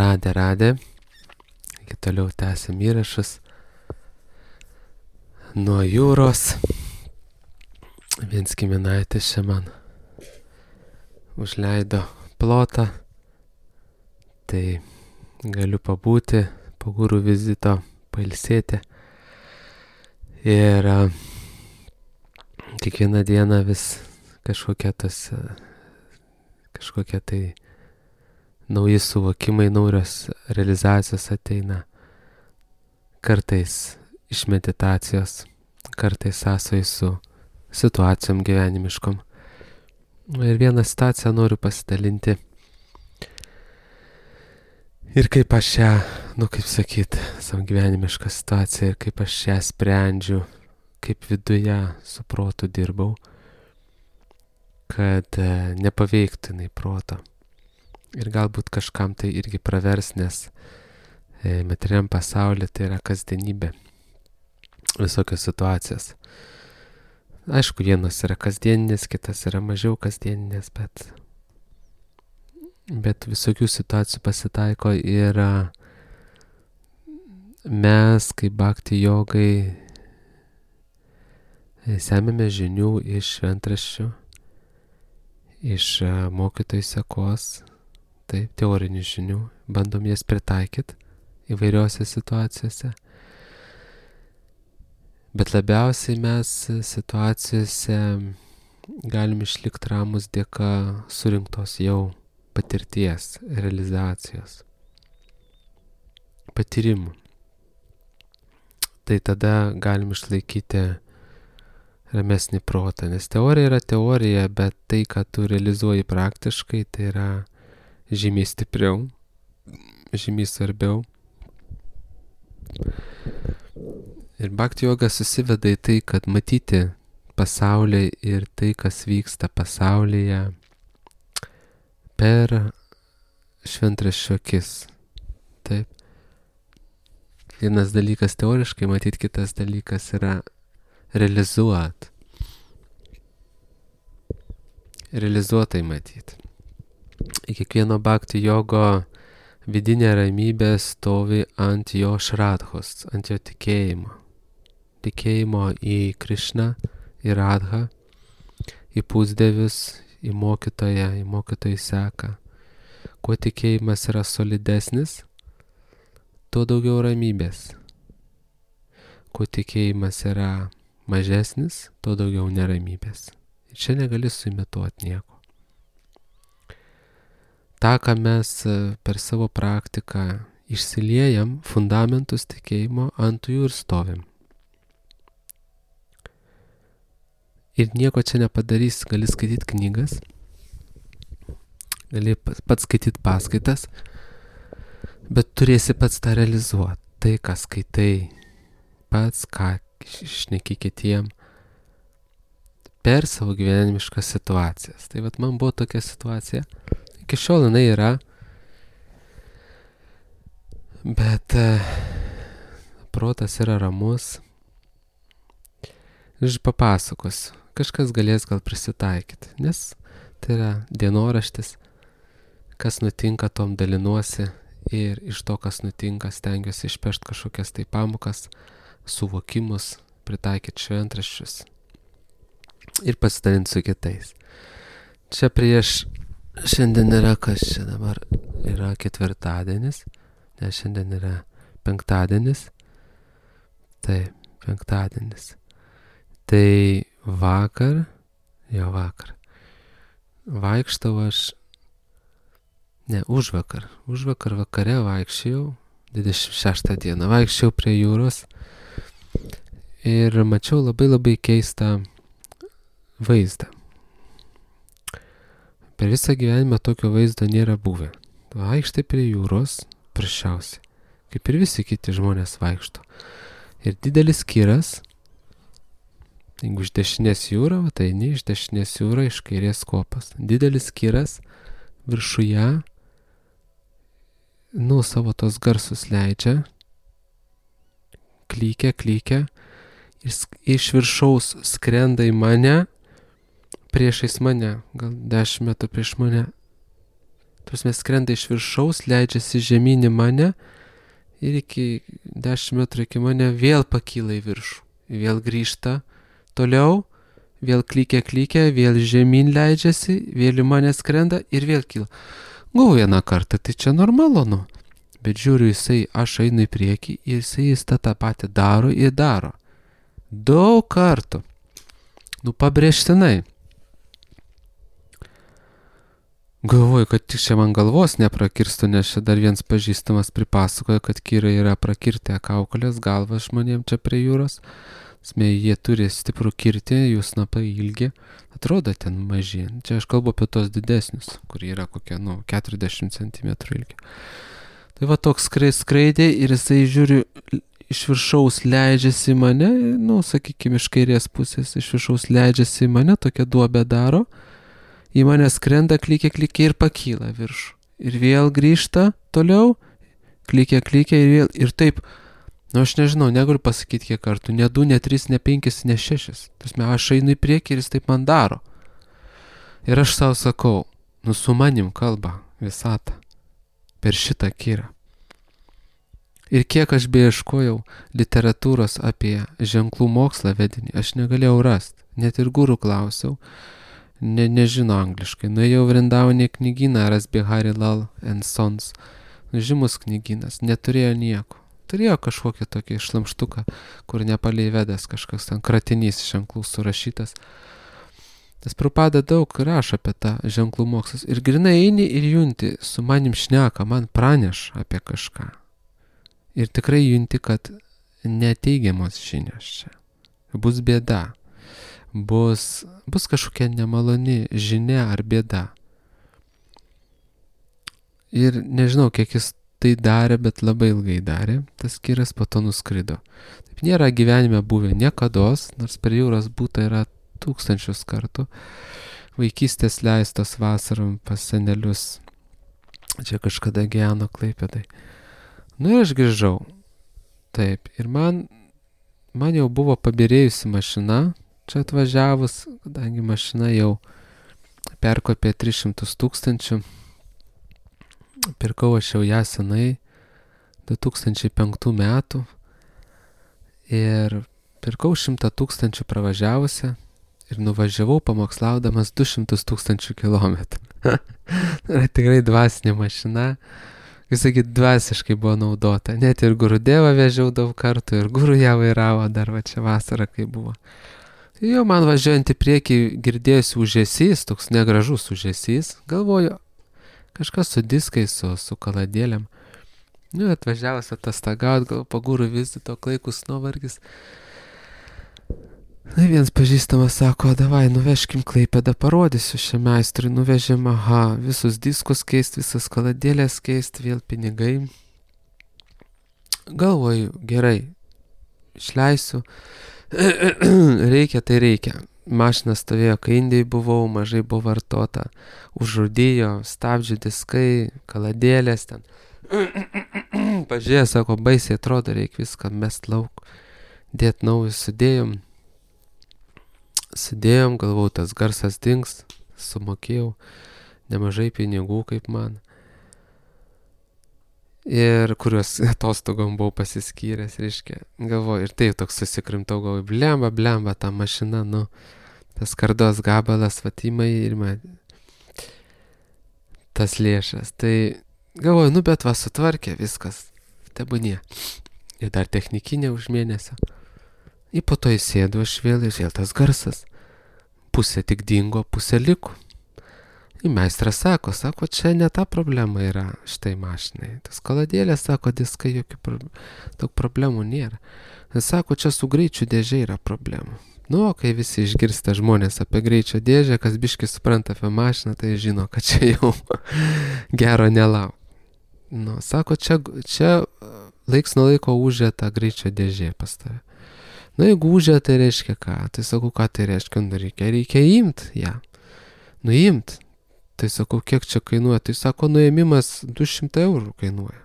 Radę. Iki toliau tęsiam įrašus. Nuo jūros. Viens giminaitis čia man užleido plotą. Tai galiu pabūti po gūrų vizito, pailsėti. Ir kiekvieną dieną vis kažkokie tai nauji suvokimai, naujos realizacijos ateina. Kartais iš meditacijos, kartais sąsoj su situacijom gyvenimiškom. Ir vieną situaciją noriu pasidalinti. Ir kaip aš ją, savo gyvenimišką situaciją, ir kaip aš ją sprendžiu, kaip viduje su protu dirbau, kad nepaveiktų jinai proto. Ir galbūt kažkam tai irgi pravers, nes materialiam pasaulyje tai yra kasdienybė. Visokios situacijos. Aišku, vienas yra kasdieninės, kitas yra mažiau kasdieninės, bet visokių situacijų pasitaiko ir mes, kaip bhakti jogai, semiame žinių iš šventraščių, iš mokytojų sekos, taip, teorinių žinių, bandom jas pritaikyti įvairiose situacijose. Bet labiausiai mes situacijose galim išlikti ramus dėka surinktos jau patirties, realizacijos, patyrimų. Tai tada galim išlaikyti ramesnį protą, nes teorija yra teorija, bet tai, ką tu realizuoji praktiškai, tai yra žymiai stipriau, žymiai svarbiau. Ir bhakti joga susiveda į tai, kad matyti pasaulį ir tai, kas vyksta pasaulyje per šventraščio akis. Taip. Vienas dalykas teoriškai matyti, kitas dalykas yra realizuotai matyti. Į kiekvieno bhakti jogo vidinė ramybė stovi ant jo šradhos, ant jo tikėjimo. Tikėjimo į Krišną, į Radhą, į pusdievius, į mokytojų seką. Kuo tikėjimas yra solidesnis, tuo daugiau ramybės. Kuo tikėjimas yra mažesnis, tuo daugiau neramybės. Ir čia negali suimituoti nieko. Ta, ką mes per savo praktiką išsiliejam, fundamentus tikėjimo, ant jų ir stovim. Ir nieko čia nepadarys, gali skaityti knygas, gali pats skaityti paskaitas, bet turėsi pats tą realizuoti. Tai, ką skaitai pats, ką šneki kitiem, per savo gyvenimiškas situacijas. Tai vat man buvo tokia situacija. Iki šiol jinai yra, bet protas yra ramus. Ir papasakosiu, kažkas galės gal prisitaikyti, nes tai yra dienoraštis, kas nutinka, tom dalinuosi ir iš to, kas nutinka, stengiuosi išpešti kažkokias tai pamokas, suvokimus, pritaikyti šventraščius ir pasidalinti su kitais. Čia šiandien yra, kas čia dabar yra ketvirtadienis, nes šiandien yra penktadienis. Taip, penktadienis. Tai vakar, vaikštau užvakar vakare vaikščiau, 26 dieną, vaikščiau prie jūros ir mačiau labai keistą vaizdą. Per visą gyvenimą tokio vaizdo nėra buvę. Vaikštai prie jūros, prasčiausiai, kaip ir visi kiti žmonės vaikšto. Ir didelis kiras, jeigu iš dešinės jūra, tai ne iš dešinės jūra, iš kairės kopas. Didelis kiras viršuje, savo tos garsus leidžia, klykia, iš viršaus skrenda į mane, priešais mane, gal 10 metrų prieš mane, Prasme, skrenda iš viršaus, leidžiasi žemyn į mane ir iki 10 metrų iki mane vėl pakyla į viršų. Vėl grįžta toliau, vėl klykia, vėl žemyn leidžiasi, vėl į mane skrenda ir vėl kyla. Gau vieną kartą, tai čia normalu, nu. Bet žiūriu, aš einu į priekį ir jis tą patį daro ir daro. Daug kartų. Nu, pabrėžtinai. Galvoju, kad tik čia man galvos neprakirstų, nes čia dar vienas pažįstamas pripasakoja, kad kirai yra prakirtę kaukolės galvą žmonėm čia prie jūros. Jie turi stiprų kirtį, jų snapai ilgi, atrodo ten maži. Čia aš kalbu apie tos didesnius, kurie yra kokie, 40 cm ilgi. Tai va toks skraidė ir jisai žiūri iš viršaus leidžiasi į mane, sakykime, iš kairės pusės iš viršaus leidžiasi į mane, tokią duobę daro, į mane skrenda, klykia ir pakyla viršų. Ir vėl grįžta toliau, klykia ir vėl, ir taip, aš nežinau, negaliu pasakyti kiek kartų, ne 2, ne 3, ne 5, ne 6. Aš einu į priekį ir jis taip man daro. Ir aš savo sakau, su manim kalba visata per šitą kirą. Ir kiek aš beieškojau literatūros apie ženklų mokslą vedinį, aš negalėjau rasti. Net ir gurų klausiau, nežino angliškai. Nuėjau Vrindavane knygyną, Rasbihari Lal and Sons. Žymus knygynas, neturėjo nieko. Turėjo kažkokį tokį šlamštuką, kur Nepale įvedęs kažkas ten kratinys ženklų surašytas. Tas Prabhupada daug rašo apie tą ženklų mokslus. Ir grinai eini ir junti, su manim šneka, man praneša apie kažką. Ir tikrai junti, kad neteigiamos žinios čia. Bus bėda. Bus kažkokia nemaloni žinia ar bėda. Ir nežinau, kiek jis tai darė, bet labai ilgai darė. Tas kiras po to nuskrido. Taip nėra gyvenime buvę niekados, nors per jūros būta yra 1000 kartų. Vaikystės leistos vasarom pas senelius. Čia kažkada gyveno Klaipėdai. Ir aš grįžau. Taip. Ir man jau buvo pabirėjusi mašina. Čia atvažiavus, kadangi mašina jau perkopė 300 000. Pirkau aš jau ją senai, 2005 metų. Ir pirkau 100 000 pravažiavusią. Ir nuvažiavau pamokslaudamas 200 000 kilometrų. Tai tikrai dvasinė mašina. Kaip sakyt, dvasiškai buvo naudota. Net ir Gurudevą vežiau daug kartų ir Guru ją vairavo dar va čia vasarą, kai buvo. Jo man važiuojant į priekį girdėjusi užesys, toks negražus užesys. Galvoju, kažkas su diskais, su kaladėlėm. Atvažiavus atostagaut, gal po Guru vizito klaikus nuovargis. Vienas pažįstamas sako, davai, nuveškim Klaipėdą, parodysiu šiam meistrui, nuvežėm, visus diskus keist, visas kaladėlės keist, vėl pinigai. Galvoju, gerai, išleisiu, reikia, tai reikia. Mašina stovėjo, kai Indijai buvau, mažai buvo vartota, užrūdijo, stabdžių diskai, kaladėlės ten. Pažiūrėjo, sako, baisiai atrodo, reikia viską mest lauk, dėt naujus Sėdėjom, galvau, tas garsas dings, sumokėjau nemažai pinigų, kaip man. Ir kuriuos atostogom buvau pasiskyręs, reiškia. Galvoju, ir taip toks susikrimtau, galvoju, blemba, ta mašina, tas kardos gabalas, vatimai ir man tas lėšas. Tai galvoju, bet sutvarkė viskas, tebūnie. Ir dar technikinė už mėnesio. Ir po to įsėdu aš vėl tas garsas. Pusė tik dingo, pusė liko. Ir meistras sako, čia ne ta problema yra štai mašinai. Tas kaladėlės, sako, diskai, daug problemų nėra. Ir sako, čia su greičių dėžė yra problemų. Kai visi išgirsta žmonės apie greičio dėžę, kas biškai supranta apie mašiną, tai žino, kad čia jau gero nelauk. Sako, čia laiks nuo laiko užė tą greičio dėžė pas tave. Jeigu užė, tai reiškia ką? Tai sakau, ką tai reiškia? Reikia imt ją. Nuimt. Tai sakau, kiek čia kainuoja? Tai sako, nuėmimas 200 eurų kainuoja.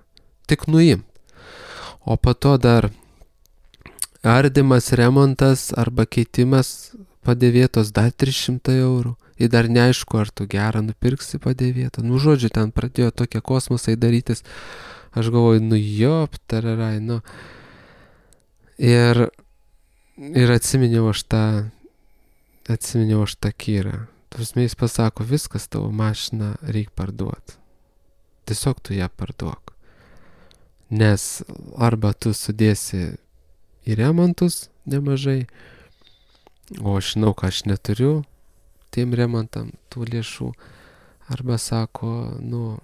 Tik nuimt. O po to dar ardymas, remontas arba keitimas padėvėtos dar 300 eurų. Ir dar neaišku, ar tu gerą nupirksi padėvėtą. Nu, žodžiu, ten pradėjo tokie kosmosai darytis. Aš galvoju, nu jop, tararai, nu. Ir atsiminiau aš tą Kyrą. Prasme, jis pasako, viskas tavo mašiną reikia parduoti. Tiesiog tu ją parduok. Nes arba tu sudėsi į remontus nemažai, o aš žinau, kad aš neturiu tiem remontam tų lėšų, arba sako, nu,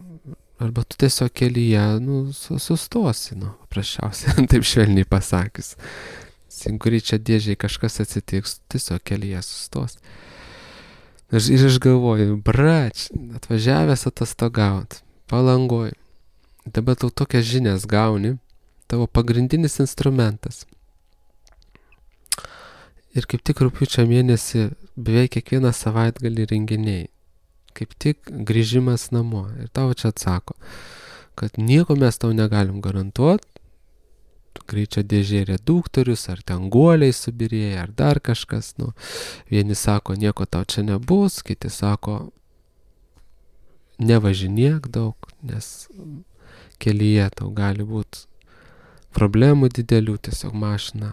arba tu tiesiog kelyje, nu, sustosi, nu, paprasčiausiai, taip švelniai pasakius. Kuri čia dėžiai kažkas atsitiks, tiesiog kelyje sustos. Ir aš galvoju, brač, atvažiavęs atostogaut, Palangoj, dabar tau tokias žinias gauni, tavo pagrindinis instrumentas. Ir kaip tik rugpjūčio mėnesį beveik kiekvieną savaitgalį renginiai. Kaip tik grįžimas namo. Ir tau čia atsako, kad nieko mes tau negalim garantuoti. Greičio dėžė reduktorius, ar ten guoliai subirėję, ar dar kažkas. Nu, vieni sako, nieko tau čia nebus, kiti sako, nevažinėk daug, nes kelyje tau gali būti problemų didelių, tiesiog mašina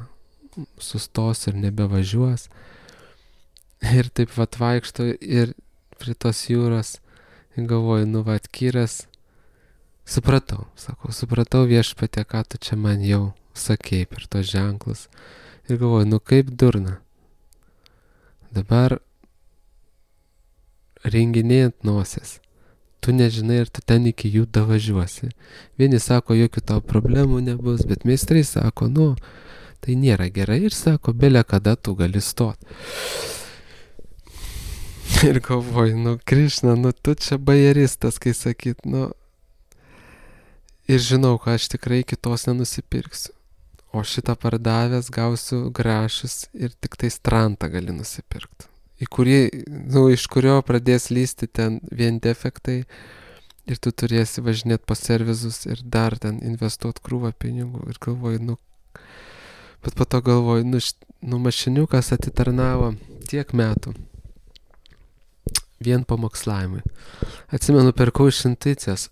sustos ir nebevažiuos. Ir taip vat vaikšto ir prie tos jūros ir galvoju, nu vat Kyras, supratau viešpatie, ką tu čia man jau sakei per tos ženklus. Ir galvoju, nu kaip durna. Dabar renginėjant nosies. Tu nežinai, ar tu ten iki jų davažiuosi. Vieni sako, jokių tau problemų nebus, bet meistrai sako, nu, tai nėra gerai ir sako, belė kada tu gali stot. Ir galvoju, nu, Krišna, nu, tu čia bajeristas, kai sakyt, nu, ir žinau, kad aš tikrai kitos nenusipirksiu. O šitą pardavęs gausiu grašus ir tik tai strantą gali nusipirkti. Iš kurio pradės lysti ten vien defektai ir tu turėsi važinėti po servizus ir dar ten investuoti krūvą pinigų. Ir galvoju, bet po to galvoju, mašiniukas atitarnavo tiek metų vien pamokslavimui. Atsimenu, pirkau iš Intuicijos.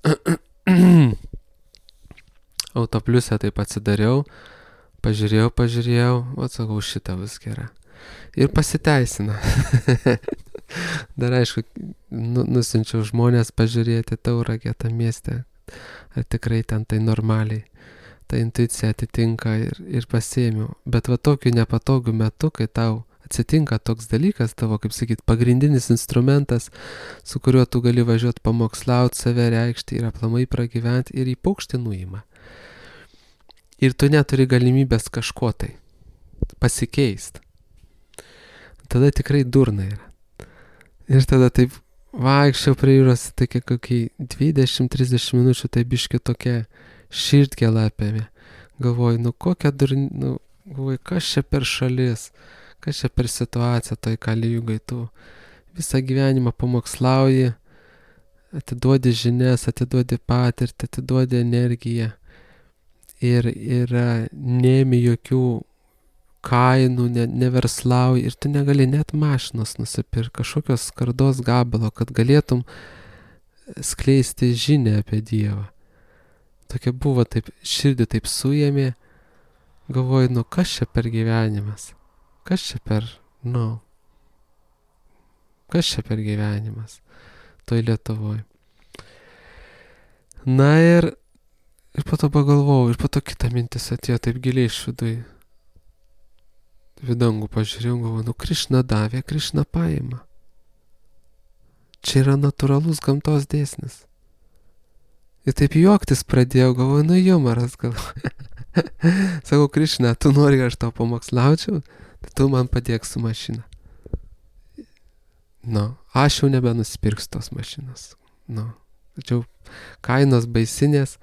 Autopliusę taip atsidariau, pažiūrėjau, atsakau, šitą bus gera. Ir pasiteisina. Dar aišku, nusinčiau žmonės pažiūrėti Tauragę tą miestę, ar tikrai ten tai normaliai, ta intuicija atitinka ir pasiėmiau. Bet va tokiu nepatogiu metu, kai tau atsitinka toks dalykas, tavo, kaip sakyt, pagrindinis instrumentas, su kuriuo tu gali važiuoti pamokslauti, save reikšti ir aplamai pragyventi ir į paukštį nuima. Ir tu neturi galimybės kažko tai pasikeisti. Tada tikrai durna yra. Ir tada taip vaikščiau prie jūros, tokia kokiai 20-30 minučių, tai biški tokia širdgėla apėmė. Galvoju, kokia durna, galvoju, kas čia per šalis, kas čia per situacija toj Kalijugai, tu visą gyvenimą pamokslauji, atiduodi žinias, atiduodi patirtį, atiduodi energiją ir neimi jokių kainų, neverslauji ir tu negali net mašinos nusipirkti, kažkokios skardos gabalo, kad galėtum skleisti žinią apie Dievą. Tokia buvo, taip širdį taip suėmė, galvoju, kas čia per gyvenimas, kas čia per gyvenimas toj Lietuvoj. Na ir po to pagalvojau, ir po to kita mintis atėjo taip giliai iš vidangų pažiūrėjau, galvoju, Krišna davė, Krišna paima. Čia yra natūralus gamtos dėsnis. Ir taip juoktis pradėjau, galvoju, jumoras galvoju. Sakau, Krišna, tu nori, aš tau pamokslaučiau, tai tu man padėk su mašina. Aš jau nebenusipirksiu tos mašinos. Tačiau kainos baisinės,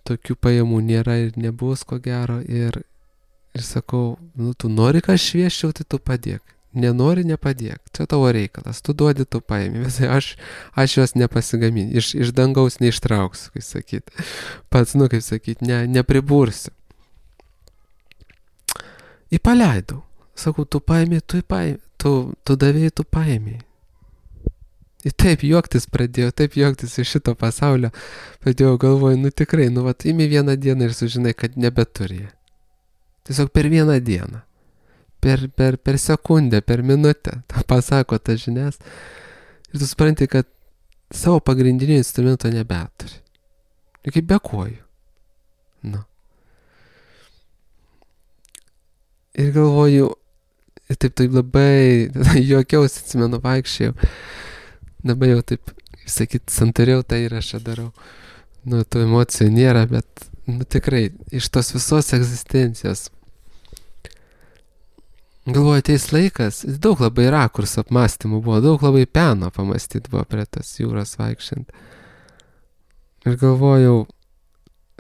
tokių pajamų nėra ir nebus ko gero ir sakau, tu nori, kad aš švieščiau, tai tu padėk. Nenori, nepadėk. Čia tavo reikalas. Tu duodi, tu paimi. Aš jos nepasigaminsiu. Iš dangaus neištrauksiu, kaip sakyt. Pats, nepribursiu. Įpaleidau. Sakau, tu paėmė, tu davėjai, tu paėmė. Ir taip juoktis iš šito pasaulio. Pradėjau galvoju, nu tikrai, imi vieną dieną ir sužinai, kad nebeturi. Tiesiog per vieną dieną. Per sekundę, per minutę. Ta pasako tas žinias. Ir tu supranti, kad savo pagrindinio instrumento nebeturi. Ir kaip be kojų. Nu. Ir galvoju, ir taip labai juokiausi, atsimenu, vaikščiau. Dabar jau taip, sakyt, santariau tą įrašą darau. Nu, tų emocijų nėra, bet, tikrai, iš tos visos egzistencijos. Galvoju, ateis laikas, daug labai rakursų apmąstymų buvo, daug labai peno pamąstyti buvo prie tas jūros vaikščiant. Ir galvojau,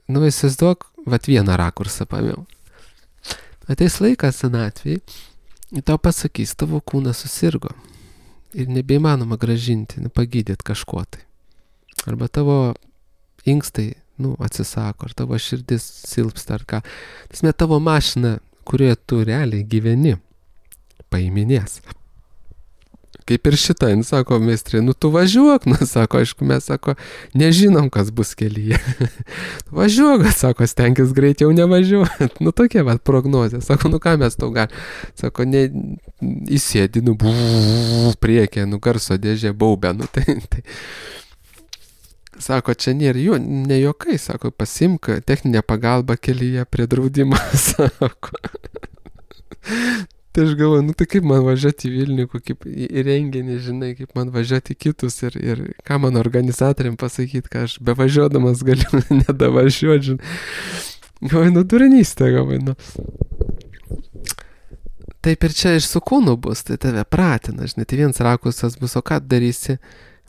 įsivaizduok, vieną rakursą pamėjau. Ateis laikas senatvėj, ir tau pasakys, tavo kūnas susirgo. Ir nebeįmanoma gražinti, pagydyti kažko tai. Arba tavo inkstai, atsisako, ar tavo širdis silpsta, ar ką. Tasme, tavo mašina, kurioje tu realiai gyveni, paiminės. Kaip ir šitą, sako meistrė, tu važiuok, sako, aišku, mes, sako, nežinom, kas bus kelyje. Važiuok, sako, stenkis greit jau nevažiuot. Tokia prognozė. Sako, ką mes tau galim. Sako, įsėdi, priekė, garso dėžė, baubė, tai. Sako, čia nėra ne juokai, sako, pasimk techninę pagalbą kelyje prie draudimo, sako. Tai aš galvoju, tai kaip man važiuoti į Vilnių, kaip į renginį, žinai, kaip man važiuoti į kitus ir ką man organizatoriam pasakyti, ką aš bevažiuodamas galiu nedavažiuoti, žinai. Galvoju, duranystė, galvoju, Taip ir čia ir su kūnu bus, tai tave pratina, žinai, tai vienas rakursas bus, o ką darysi,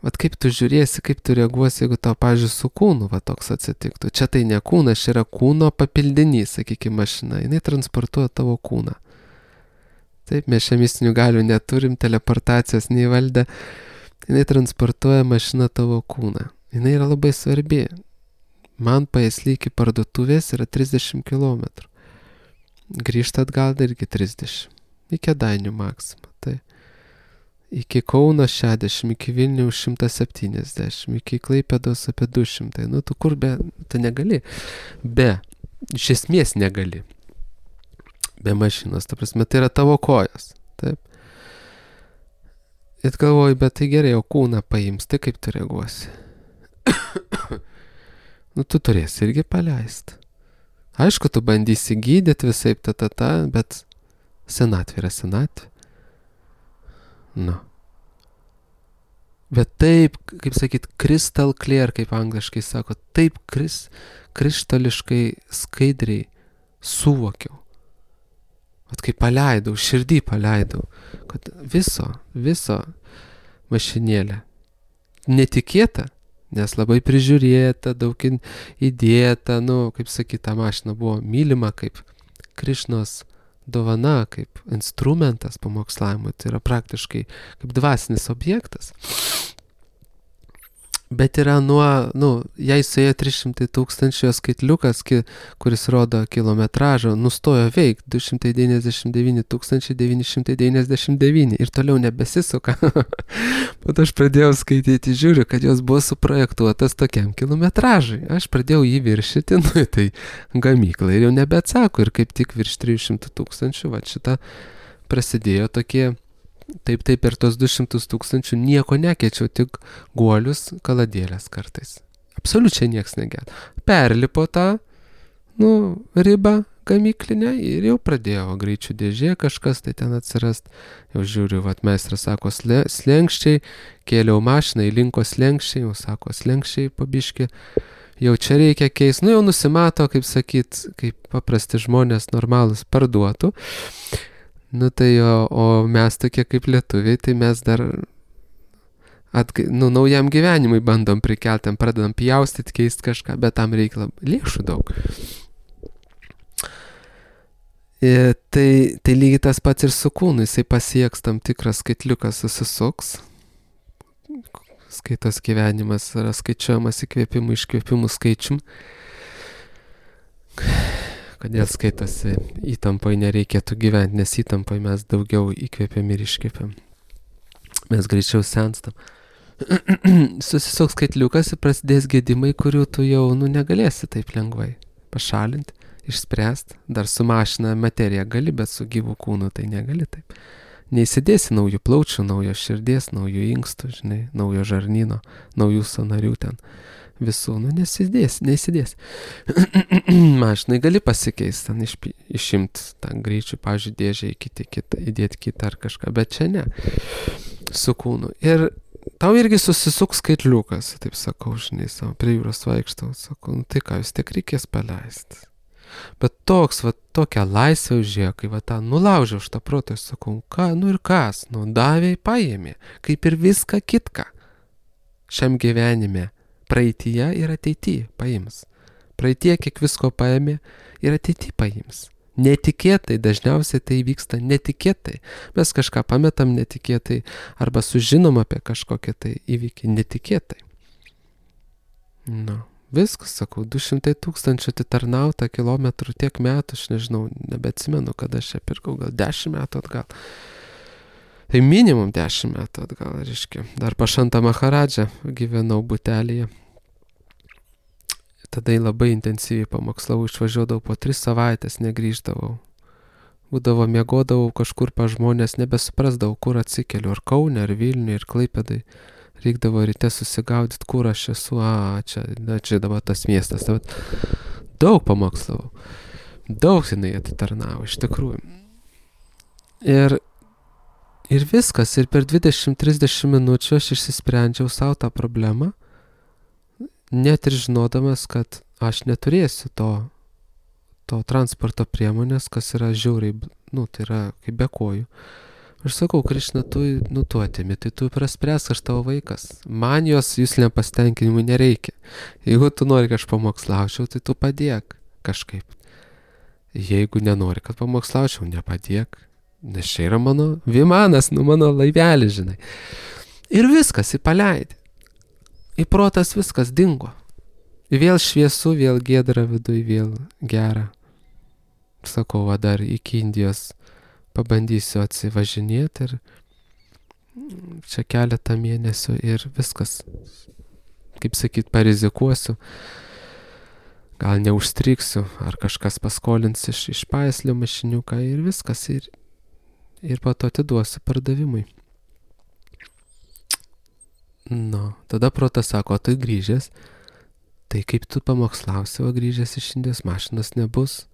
kaip tu žiūrėsi, kaip tu reaguosi, jeigu tau, pavyzdžiui, su kūnu toks atsitiktų. Čia tai ne kūnas, čia yra kūno papildinys, sakykime, mašina, jinai transportuoja tavo kūną. Taip, mes čia mistinių galių neturim, teleportacijos neįvaldę. Jinai transportuoja mašiną tavo kūną. Jinai yra labai svarbi. Man Paėsly iki parduotuvės yra 30 km. Grįžta atgal dar iki 30. Iki Kėdainių maksimą. Tai. Iki Kauno 60, iki Vilniaus 170, iki Klaipėdos apie 200. Tu kur tu negali. Iš esmės negali. Be mašinos, ta prasme, tai yra tavo kojos, taip. Ir galvoju, bet tai gerai, o kūną paims, tai kaip tu reaguosi? Tu turėsi irgi paleisti. Aišku, tu bandysi gydyti visaip, bet senatvė yra senatvė. Bet taip, kaip sakyt, crystal clear, kaip angliškai sako, taip krištališkai skaidriai suvokiau. Kaip paleidau, širdį paleidau, kad viso mašinėlė netikėta, nes labai prižiūrėta, daug įdėta, kaip sakyt, ta mašina buvo mylima kaip Krišnos dovana, kaip instrumentas pamokslavimui, tai yra praktiškai kaip dvasinis objektas. Bet yra jai suėjo 300 000 skaitliukas, kuris rodo kilometražą, nustojo veikti 299 999 ir toliau nebesisuka. Bet aš pradėjau skaityti, žiūriu, kad jos buvo suprojektuotas tokiam kilometražui. Aš pradėjau jį viršyti, tai gamykla ir jau nebeatsako. Ir kaip tik virš 300 000, šitą prasidėjo tokie. Taip, per tos 200 000 nieko nekeičiau, tik guolius, kaladėlės kartais. Absoliučiai nieks negėda. Perlipo tą, ribą gamyklinę ir jau pradėjo greičių dėžė kažkas tai ten atsirast. Jau žiūriu, meistras sako slenkščiai, kėliau mašiną, įlinko slenkščiai, jau sako slenkščiai pabiški. Jau čia reikia keisti, jau nusimato, kaip sakyt, kaip paprasti žmonės normalus parduotų. Tai o mes tokie kaip lietuviai, tai mes dar naujam gyvenimui bandom prikelti, pradedam pjaustyti, keisti kažką, bet tam reikia lėšų daug. Tai lygiai tas pats ir su kūnu, jisai pasieks tam tikras skaitliukas susisuks. Skaitos gyvenimas yra skaičiuojamas įkvėpimų, iškvėpimų skaičium. kodėl skaitosi įtampai nereikėtų gyventi, nes įtampai mes daugiau įkvėpiam ir iškvėpiam. Mes greičiau senstam. Susisuks skaitliukas ir prasidės gedimai, kurių tu jau negalėsi taip lengvai pašalinti, išspręsti. Dar su mašina materija gali, bet su gyvu kūnu tai negali taip. Neįsidėsi naujų plaučių, naujo širdies, naujų inkstų, žinai, naujo žarnyno, naujų sąnarių ten. Visų, neįsidės. Mašinai gali pasikeisti, ten išimti tą greičių, pavyzdžiui, dėžę įdėti kitą ar kažką, bet čia ne, su kūnu. Ir tau irgi susisuks skaitliukas, taip sakau, žinai, savo prie jūros vaikštau, sakau, tai ką, vis tiek reikės paleisti. Bet tokia laisvė užėjo, kai tą nulaužiau už tą protą, sakau, ką, ir kas, davė, paėmė, kaip ir viską kitką šiam gyvenime. Praeityje ir ateityje paims. Praeityje kiek visko paėmė ir ateityje paims. Netikėtai, dažniausiai tai vyksta netikėtai. Mes kažką pametam netikėtai arba sužinom apie kažkokią tai įvykį netikėtai. Viskas, sakau, 200 000 atitarnauta kilometrų tiek metų, aš nežinau, nebeatsimenu, kada aš čia pirkau, gal 10 metų atgal. Tai minimum 10 metų atgal, reiškia. Dar Pašanta Maharadža gyvenau butelyje. Tada labai intensyviai pamokslavau, išvažiuodavau po 3 savaitės, negrįždavau. Būdavo, miegodavau kažkur pa žmonės, nebesuprasdavau, kur atsikeliu, ar Kaune, ar Vilniuje, ir Klaipėdai. Reikdavo ryte susigaudyti, kur aš esu, čia dabar tas miestas. Daug pamokslavau. Daug jinai atitarnavo, iš tikrųjų. Ir viskas, ir per 20-30 minučių aš išsisprendžiau savo tą problemą, net ir žinodamas, kad aš neturėsiu to transporto priemonės, kas yra žiauriai, tai yra kaip be kojų. Aš sakau, Krišna, tu atimi, tai tu praspręs, aš tavo vaikas. Man jos jūsliam pasitenkinimui nereikia. Jeigu tu nori, kad aš pamokslaučiau, tai tu padėk kažkaip. Jeigu nenori, kad pamokslaučiau, nepadėk. Nes čia yra mano vimanas, mano laivelis, žinai. Ir viskas, paleidė. Į protas viskas dingo. Vėl šviesu, vėl giedra viduj, vėl gera. Sakau, dar iki Indijos pabandysiu atsivažinėti ir čia keletą mėnesių ir viskas. Kaip sakyt, parizikuosiu. Gal neužstrigsiu, ar kažkas paskolins iš Paislio mašiniuką ir viskas. Ir po to atiduosiu pardavimui. Tada protas sako, tai grįžęs, tai kaip tu pamokslausi, o grįžęs iš Indijos mašinos nebus.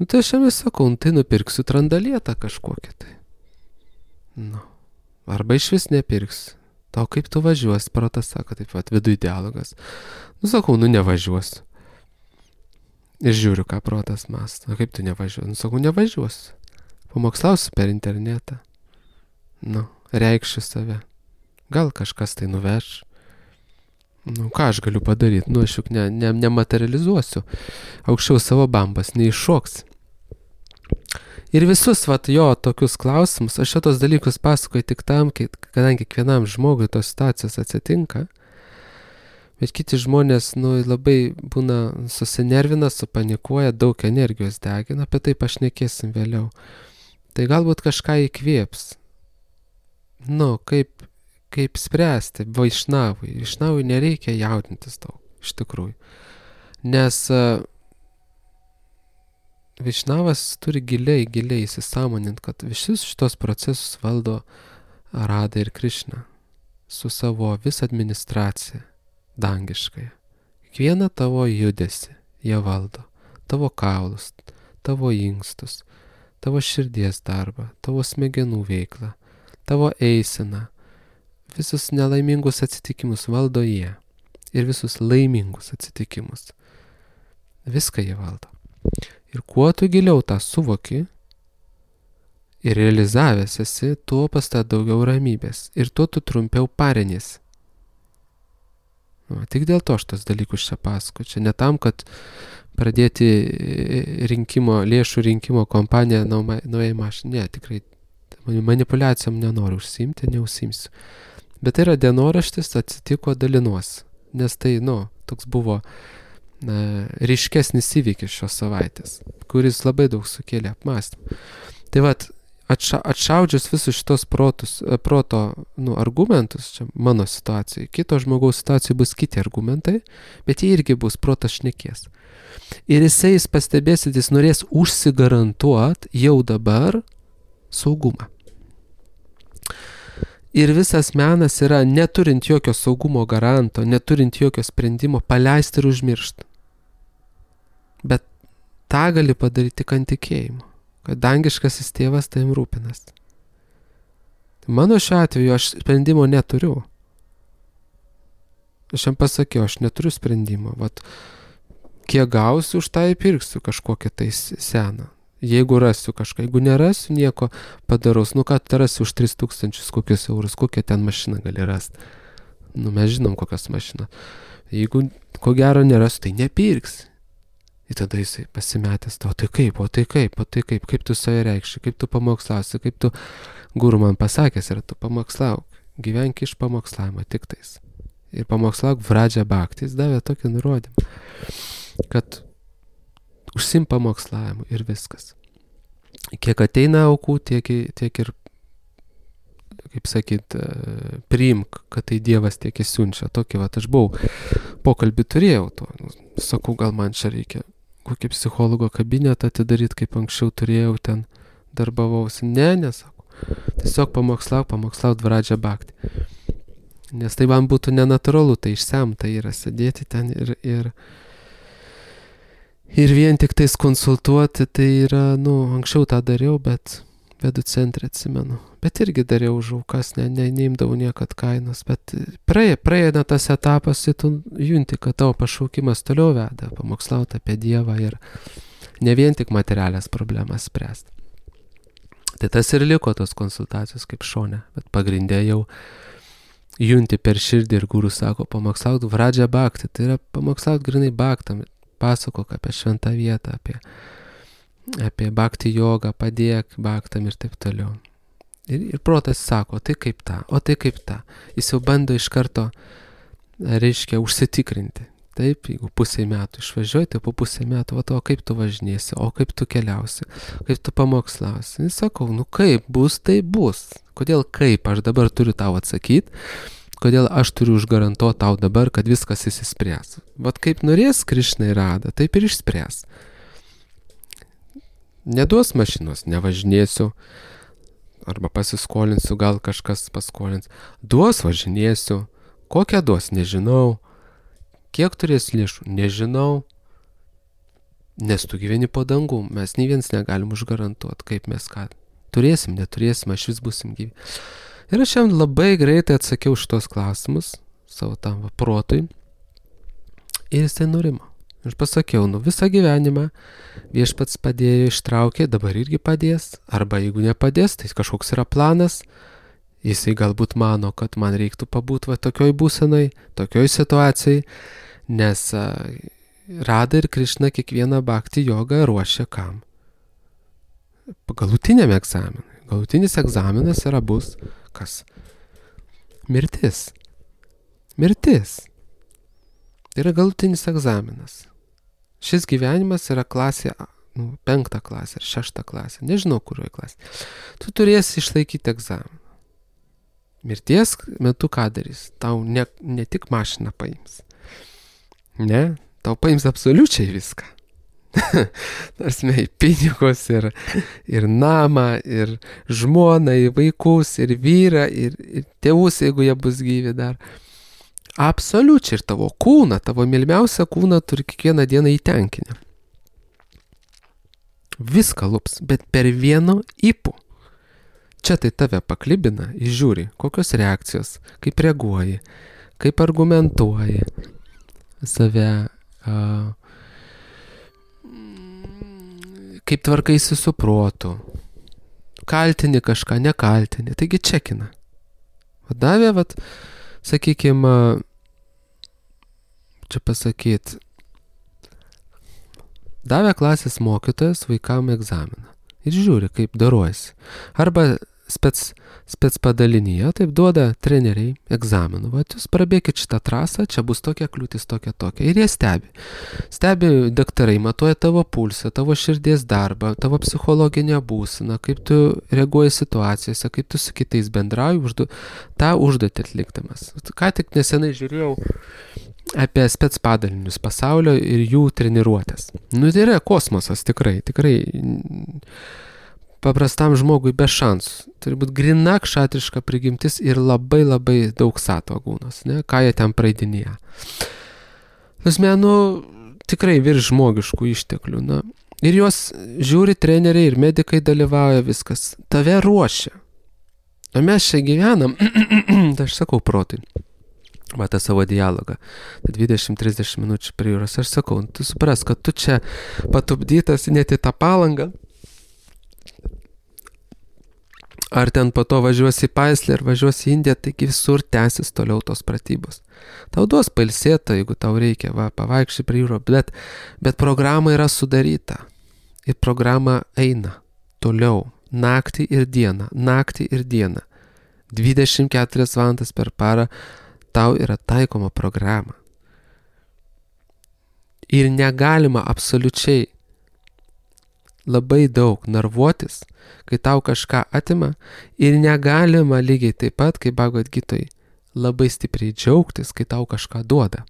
Tai aš jam sakau, tai nupirksiu trandalietą kažkokią tai. Arba iš vis nepirksiu. Tau kaip tu važiuosi, protas sako, taip pat viduj dialogas. Sakau, nevažiuosiu. Ir žiūriu, ką protas mąsto. Kaip tu nevažiuosi? Sakau, nevažiuosiu. Pamokslausiu per internetą. Reikšiu save. Gal kažkas tai nuveš. Ką aš galiu padaryti? Aš juk nematerializuosiu. Aukščiau savo bambas neiššoks. Ir visus jo tokius klausimus, aš šitos dalykus pasakoju tik tam, kadangi kiekvienam žmogui tos situacijos atsitinka. Bet kiti žmonės labai būna susinervina, supanikuoja, daug energijos degina, apie tai pašnekėsim vėliau. Tai galbūt kažką įkvėps. Kaip spręsti Vaišnavui. Vaišnavui nereikia jaudintis daug, iš tikrųjų. Nes Vaišnavas turi giliai įsisąmoninti, kad visus šitos procesus valdo Radha ir Krišna su savo visą administraciją dangiškąją. Kiekvieną tavo judesį jie valdo. Tavo kaulus, tavo inkstus, tavo širdies darbą, tavo smegenų veiklą, tavo eiseną. Visus nelaimingus atsitikimus valdo jie. Ir visus laimingus atsitikimus. Viską jie valdo. Ir kuo tu giliau tą suvoki ir realizavęs esi, tuo pas tą daugiau ramybės. Ir tuo tu trumpiau pariniesi. Tik dėl to aš tos dalykus čia pasakoju. Čia ne tam, kad pradėti lėšų rinkimo kompaniją naujai mašinai. Ne, tikrai manipuliacijom nenoriu užsiimti, neužsiimsiu. Bet tai yra dienoraštis, atsitiko, dalinuosi. Nes tai, toks buvo ryškesnis įvykis šios savaitės, kuris labai daug sukėlė apmąstymą. Tai vat, atšaudžius visus šitos proto argumentus, čia mano situacijai, kito žmogaus situacijai bus kiti argumentai, bet jie irgi bus protas šnekės. Ir jis pastebėsit, jis norės užsigarantuoti jau dabar saugumą. Ir visas menas yra, neturint jokio saugumo garanto, neturint jokio sprendimo, paleisti ir užmiršti. Bet tą gali padaryti tik ant tikėjimo, kad dangiškasis tėvas tavim rūpinas. Mano šiuo atveju aš sprendimo neturiu. Aš jam pasakiau, aš neturiu sprendimo. Vat, kiek gausiu, už tą įpirksiu kažkokią tai seną. Jeigu rasiu kažką, jeigu nerasiu, nieko padaraus. Ką tu rasi už 3000 kokius eurus, kokią ten mašiną gali rasti. Mes žinom, kokios mašiną. Jeigu ko gero nerasiu, tai nepirksi. Ir tada jisai pasimetęs, o tai kaip tu save reikši, kaip tu pamokslausi, kaip tu guru man pasakęs ir tu pamokslauk. Gyvenk iš pamokslavimo tik tais. Ir pamokslauk Vradžia Bhakti. Jis davė tokį nurodymą, kad užsim pamokslavimu ir viskas. Kiek ateina aukų, tiek ir, kaip sakyt, priimk, kad tai Dievas tiek įsiunčia. Tokį, aš buvau, pokalbį turėjau to. Sakau, gal man čia reikia kokį psichologo kabinetą atidaryti, kaip anksčiau turėjau, ten darbavausi. Nesakau. Tiesiog pamokslauk Vradžia Bhakti. Nes tai man būtų nenatūralu, tai išsemta yra sėdėti ten ir vien tik tais konsultuoti, tai yra, anksčiau tą dariau, bet vedu centre atsimenu. Bet irgi dariau už aukas, neimdavau niekad kainos, bet praeina tas etapas, tu junti, kad tavo pašaukimas toliau veda, pamokslauti apie Dievą ir ne vien tik materialias problemas spręsti. Tai tas ir liko tos konsultacijos kaip šone, bet pagrindė jau junti per širdį ir guru sako, pamokslauk Vradžia Bhakti, tai yra pamokslauk grinai Bhaktam, pasakok apie šventą vietą, apie Bhakti jogą, padėk Bhaktam ir taip toliau. Ir protas sako, tai kaip ta. Jis jau bando iš karto, reiškia, užsitikrinti. Taip, jeigu pusę metų išvažiuoji, tai po pusę metų, o kaip tu važinėsi, o kaip tu keliausi, kaip tu pamokslausi. Ir sakau, kaip bus, tai bus. Kodėl kaip aš dabar turiu tau atsakyti, kodėl aš turiu užgarantuoti tau dabar, kad viskas įsispręs. Vat kaip norės Krišna ir Rada, taip ir išspręs. Neduos mašinos, nevažinėsiu, arba pasiskolinsiu, gal kažkas paskolins. Duos, važinėsiu. Kokią duos, nežinau. Kiek turės lėšų, nežinau. Nes tu gyveni po dangum, mes nei vienas negalim užgarantuoti, kaip mes ką. Turėsim, neturėsim, aš vis būsim gyvi. Ir aš jam labai greitai atsakiau šitos klausimus savo tam protui. Ir jis tai nurimo. Aš pasakiau, visą gyvenimą viešpats padėjo, ištraukė, dabar irgi padės. Arba jeigu nepadės, tai kažkoks yra planas. Jisai galbūt mano, kad man reiktų pabūti tokioj būsenai, tokioj situacijai. Nes Rada ir Krišna kiekvieną Bhakti jogą ruošia kam? Galutiniam egzaminui. Galutinis egzaminas bus kas? Mirtis. Tai yra galutinis egzaminas. Šis gyvenimas yra klasė, 5 klasė ar 6 klasė, nežinau kurioje klasė. Tu turėsi išlaikyti egzaminą. Mirties metu ką darys? Tau ne tik mašiną paims. Ne, tau paims absoliučiai viską. Nors pinigus ir namą, ir žmoną, ir vaikus, ir vyrą, ir tėvus, jeigu jie bus gyvi dar. Absoliučiai ir tavo kūną, tavo mylimiausią kūną turi kiekvieną dieną įtenkinę. Viską lups, bet per vieno ypu. Čia tai tave paklibina, žiūri, kokios reakcijos, kaip reaguoji, kaip argumentuoji save, kaip tvarkaisi su protu, kaltini kažką, nekaltini, taigi čekina. Davė, sakykime, čia pasakyt, davė klasės mokytojas vaikam egzaminą ir žiūri, kaip daruojasi. Arba spec padalinyje, taip duoda treneriai egzaminų. Vat jūs prabėkit šitą trasą, čia bus tokia kliūtis, tokia. Ir jie stebi. Stebi daktarai, matuoja tavo pulsą, tavo širdies darbą, tavo psichologinę būseną, kaip tu reaguoji situacijose, kaip tu su kitais bendrauji, tą užduotį atlikdamas. Ką tik nesenai žiūrėjau apie spec padalinius pasaulio ir jų treniruotės. Tai yra kosmosas, tikrai. Paprastam žmogui be šansų. Turi būti grina kšatriška prigimtis ir labai daug satvagūnos, ne? Ką jie ten praeidinėja. Tikrai virš žmogiškų išteklių. Ir juos žiūri treneriai ir medikai dalyvauja viskas. Tave ruošia. O mes čia gyvenam, tai aš sakau protui. Matą savo dialogą. 20-30 minučių prie jūros. Aš sakau, tu supras, kad tu čia patupdytas net į tą Palangą. Ar ten po to važiuosi į Paislį, ar važiuosi į Indiją, taigi visur tęsis toliau tos pratybos. Tau duos pailsėta, jeigu tau reikia, pavaikščiai prie jūro, bet programa yra sudaryta. Ir programa eina toliau, naktį ir dieną. 24 valandas per parą tau yra taikoma programa. Ir negalima absoliučiai labai daug nervuotis, kai tau kažką atima, ir negalima lygiai taip pat, kaip Bhagavad Gitoj, labai stipriai džiaugtis, kai tau kažką duoda.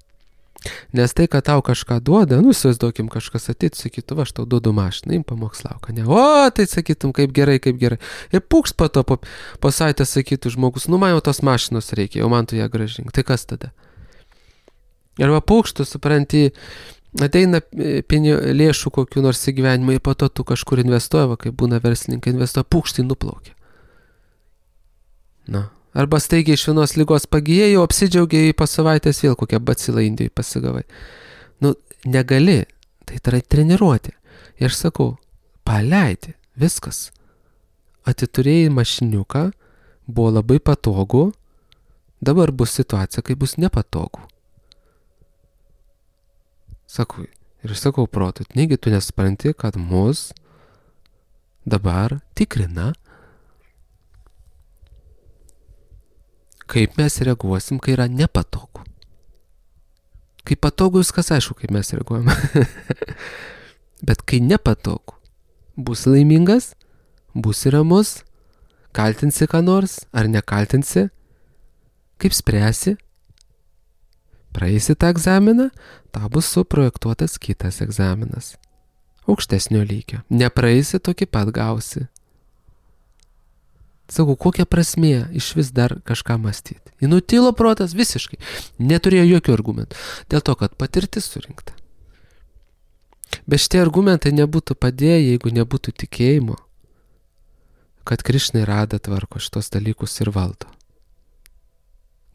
Nes tai, kad tau kažką duoda, įsivaizduokim, kažkas ateitų, sakytų, aš tau duodu mašiną, im pamokslauk, ne? O, tai sakytum, kaip gerai. Ir pūkst po to, po savaitės sakytų žmogus, man jau tos mašinos reikia, o man tu ją grąžink. Tai kas tada? Arba pūkštų, supranti, ateina lėšų kokių nors į gyvenimą, ir po to tu kažkur investuoja, kai būna verslininkai investuoja, pūkštai nuplaukia. Arba staigiai iš vienos ligos pagijėjai, apsidžiaugiai po savaitės vėl kokią bacilą Indijai pasigavai. Negali, tai yra treniruoti. Ir aš sakau, paleidi, viskas. Atiturėjai mašiniuką, buvo labai patogu, dabar bus situacija, kai bus nepatogu. Sakau, ir aš sakau protui, negi tu nesupranti, kad mus dabar tikrina, kaip mes reaguosim, kai yra nepatogu. Kai patogu, viskas aišku, kaip mes reaguojame. Bet kai nepatogu, bus laimingas, bus ramus, kaltinsi ką nors, ar nekaltinsi, kaip spręsi, praeisi tą egzaminą, tau bus suprojektuotas kitas egzaminas. Aukštesnio lygio. Nepraeisi, tokį pat gausi. Sakau, kokia prasmė iš vis dar kažką mąstyti. Nutilo protas visiškai. Neturėjo jokių argumentų. Dėl to, kad patirtis surinkta. Bet šitie argumentai nebūtų padėję, jeigu nebūtų tikėjimo, kad Krišna ir Rada tvarko šitos dalykus ir valdo.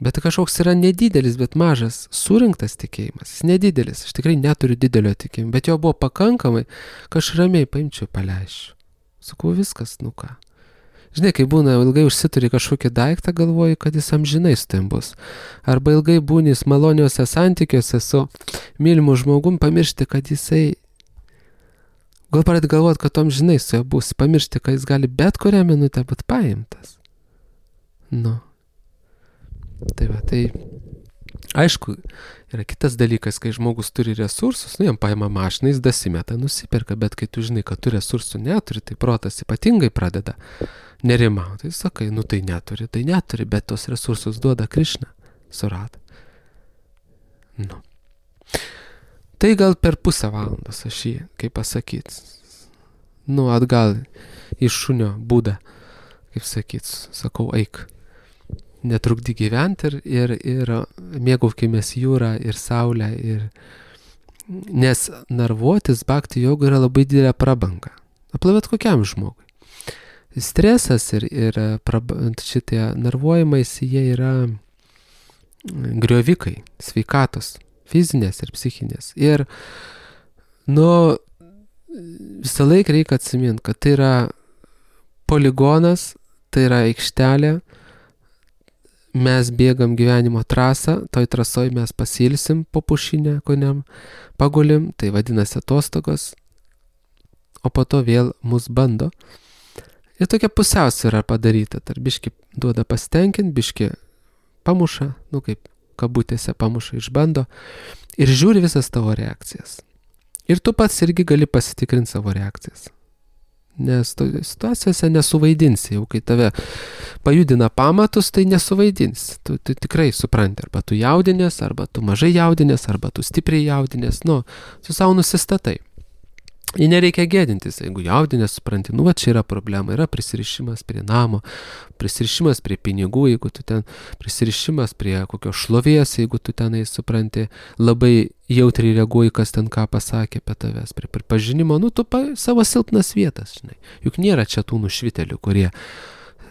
Bet kažkoks yra nedidelis, bet mažas surinktas tikėjimas. Jis nedidelis. Aš tikrai neturiu didelio tikėjimo. Bet jo buvo pakankamai, kad aš ramiai paimčiau paleisčiau. Sakau, viskas, ką. Žinai, kai būna ilgai užsituri kažkokį daiktą, galvoji, kad jis amžinai su tavim bus. Arba ilgai būni maloniuose santykiuose su mylimu žmogum, pamiršti, kad jisai... Gal pradėti galvoti, kad amžinai su juo bus. Pamiršti, kad jis gali bet kurią minutę būti paimtas. Tai aišku, yra kitas dalykas, kai žmogus turi resursus, jam paima mašiną, jis dasimeta, nusiperka, bet kai tu žinai, kad tu resursų neturi, tai protas ypatingai pradeda nerimauti. Tai sakai, tai neturi, bet tos resursus duoda Krišna su Rada. Tai gal per pusę valandos aš jį, kaip pasakyti, atgal iš šunio būdą, kaip sakyti, sakau, eik. Netrukdy gyventi ir mėgaukimės jūrą ir saulę. Nes nervuotis bhakti jogui yra labai didelė prabanga. Aplavėt kokiam žmogui. Stresas ir šitie nervuojimais, jie yra griovikai, sveikatos, fizinės ir psichinės. Ir visą laiką reikia atsiminti, kad tai yra poligonas, tai yra aikštelė. Mes bėgam gyvenimo trasą, toj trasoj mes pasilsim po pušinę, koniam pagulim, tai vadinasi atostogos, o po to vėl mus bando. Ir tokia pusiausvyra padaryta, tarp biški duoda pasitenkint, biški pamuša, kaip kabutėse pamuša, išbando ir žiūri visas tavo reakcijas. Ir tu pats irgi gali pasitikrinti savo reakcijas. Nes situacijose nesuvaidinsi, jau kai tave pajudina pamatus, tai nesuvaidinsi. Tu tikrai supranti, arba tu jaudinės, arba tu mažai jaudinės, arba tu stipriai jaudinės, tu savo nusistatai. Ir nereikia gėdintis, jeigu jaudinės, supranti, va čia yra problema, yra prisirišimas prie namo, prisirišimas prie pinigų, jeigu tu ten, prisirišimas prie kokios šlovės, jeigu tu tenai, supranti, labai jautriai reaguoji, kas ten ką pasakė apie tavęs, prie pripažinimo, tu savo silpnas vietas, žinai. Juk nėra čia tų nušvitelių, kurie,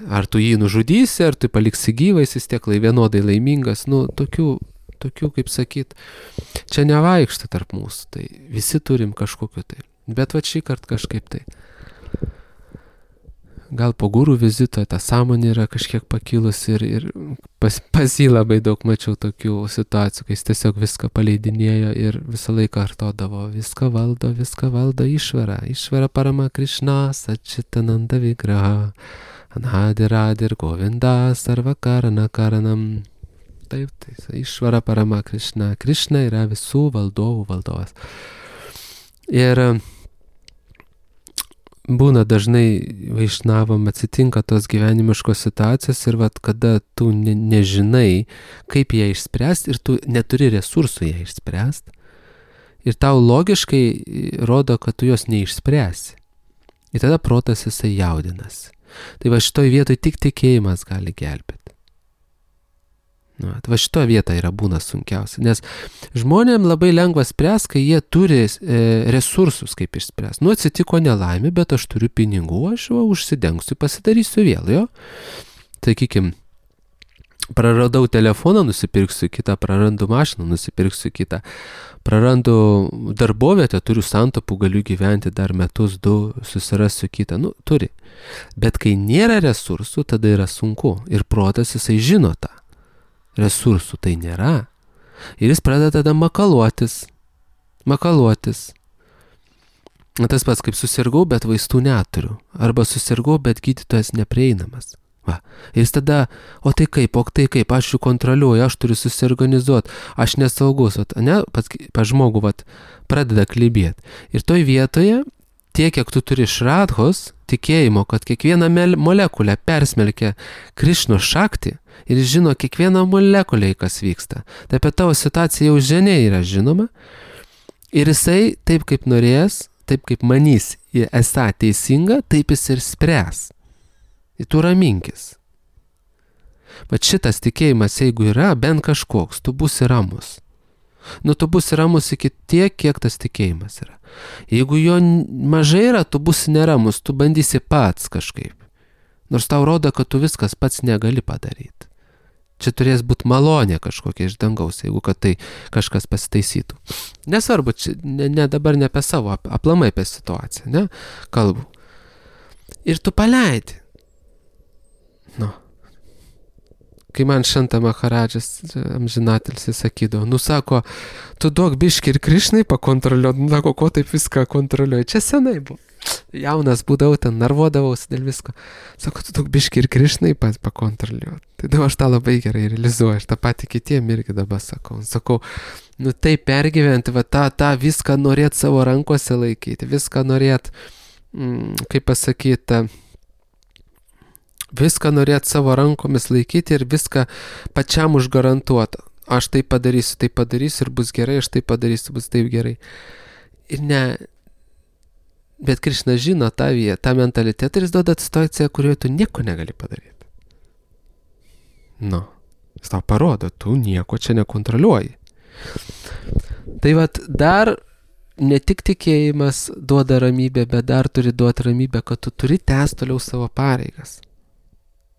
ar tu jį nužudysi, ar tu paliksi gyvais, jis tiek vienodai laimingas, tokių, kaip sakyt, čia nevaikšta tarp mūsų, tai visi turim kažkokiu tai. Bet va šį kartą kažkaip tai. Gal po gurų vizito ta sąmonė yra kažkiek pakilus ir pas jį labai daug mačiau tokių situacijų, kai jis tiesiog viską paleidinėjo ir visą laiką kartodavo, viską valdo išvara parama Krišna, Sačitananda Vigraha, Anhadiradir Govinda, Sarva Karana Karanam. Taip, išvara parama Krišna. Krišna yra visų valdovų valdovas. Ir būna dažnai vaišnavam atsitinka tos gyvenimiškos situacijos ir kada tu nežinai, kaip ją išspręsti ir tu neturi resursų ją išspręsti ir tau logiškai rodo, kad tu jos neišspręsi. Ir tada protas jisai jaudinasi. Tai va šitoj vietoj tik tikėjimas gali gelbėti. Va šito vieta yra būna sunkiausia, nes žmonėm labai lengva spręs, kai jie turi resursus kaip išspręs. Atsitiko nelaimė, bet aš turiu pinigų, aš užsidengsiu, pasidarysiu vėl, jo. Sakykim, praradau telefoną, nusipirksiu kitą, prarandu mašiną, nusipirksiu kitą, prarandu darbovietę, turiu santaupų, galiu gyventi dar metus, 2, susirasiu kitą, turi. Bet kai nėra resursų, tada yra sunku ir protas jisai žino tą. Resursų tai nėra. Ir jis pradeda tada makaluotis. Tas pats kaip susirgau, bet vaistų neturiu. Arba susirgau, bet gydytojas neprieinamas. Ir jis tada, o tai kaip, aš jų kontroliuoju, aš turiu susiorganizuoti, aš nesaugus, pas žmogų pradeda klibėti. Ir toj vietoje, tiek, kiek tu turi šradhos, tikėjimo, kad kiekvieną molekulę persmelkia Krišnos šakti ir žino kiekvieną molekulę, kas vyksta. Tai apie tavo situaciją jau ženiai yra žinoma ir jisai taip kaip norės, taip kaip manys esą teisinga, taip jis ir spręs. Ir tu raminkis. Bet šitas tikėjimas, jeigu yra bent kažkoks, tu būsi ramus. Tu būsi ramus iki tiek, kiek tas tikėjimas yra. Jeigu jo mažai yra, tu būsi neramus, tu bandysi pats kažkaip. Nors tau rodo, kad tu viskas pats negali padaryti. Čia turės būti malonė kažkokia iš dangaus, jeigu kad tai kažkas pasitaisytų. Nesvarbu, dabar ne apie savo, aplamai apie situaciją, ne? Kalbu. Ir tu paleidi. Kai man Šanta Maharadžas amžinatilsis sakydavo, sako, tu duok biškį ir Krišnai pakontroliuot, sako, ko taip viską kontroliuoji. Čia senai buvo. Jaunas būdavau, ten narvodavausi dėl visko. Sako, tu duok biškį ir Krišnai pakontroliuot. Tai dabar aš tą labai gerai realizuoju, aš tą patį kitiem irgi dabar sakau. Sakau, tai pergyventi, tą viską norėt savo rankose laikyti, viską norėt, kaip pasakyti, viską norėt savo rankomis laikyti ir viską pačiam užgarantuoti. Aš tai padarysiu ir bus gerai, aš tai padarysiu, bus taip gerai. Ir ne, bet Krišna žino tą vietą, tą mentalitetą ir jis duoda situaciją, kurioje tu nieko negali padaryti. Jis tau parodo, tu nieko čia nekontroliuoji. Tai dar ne tik tikėjimas duoda ramybę, bet dar turi duoti ramybę, kad tu turi tęsti toliau savo pareigas.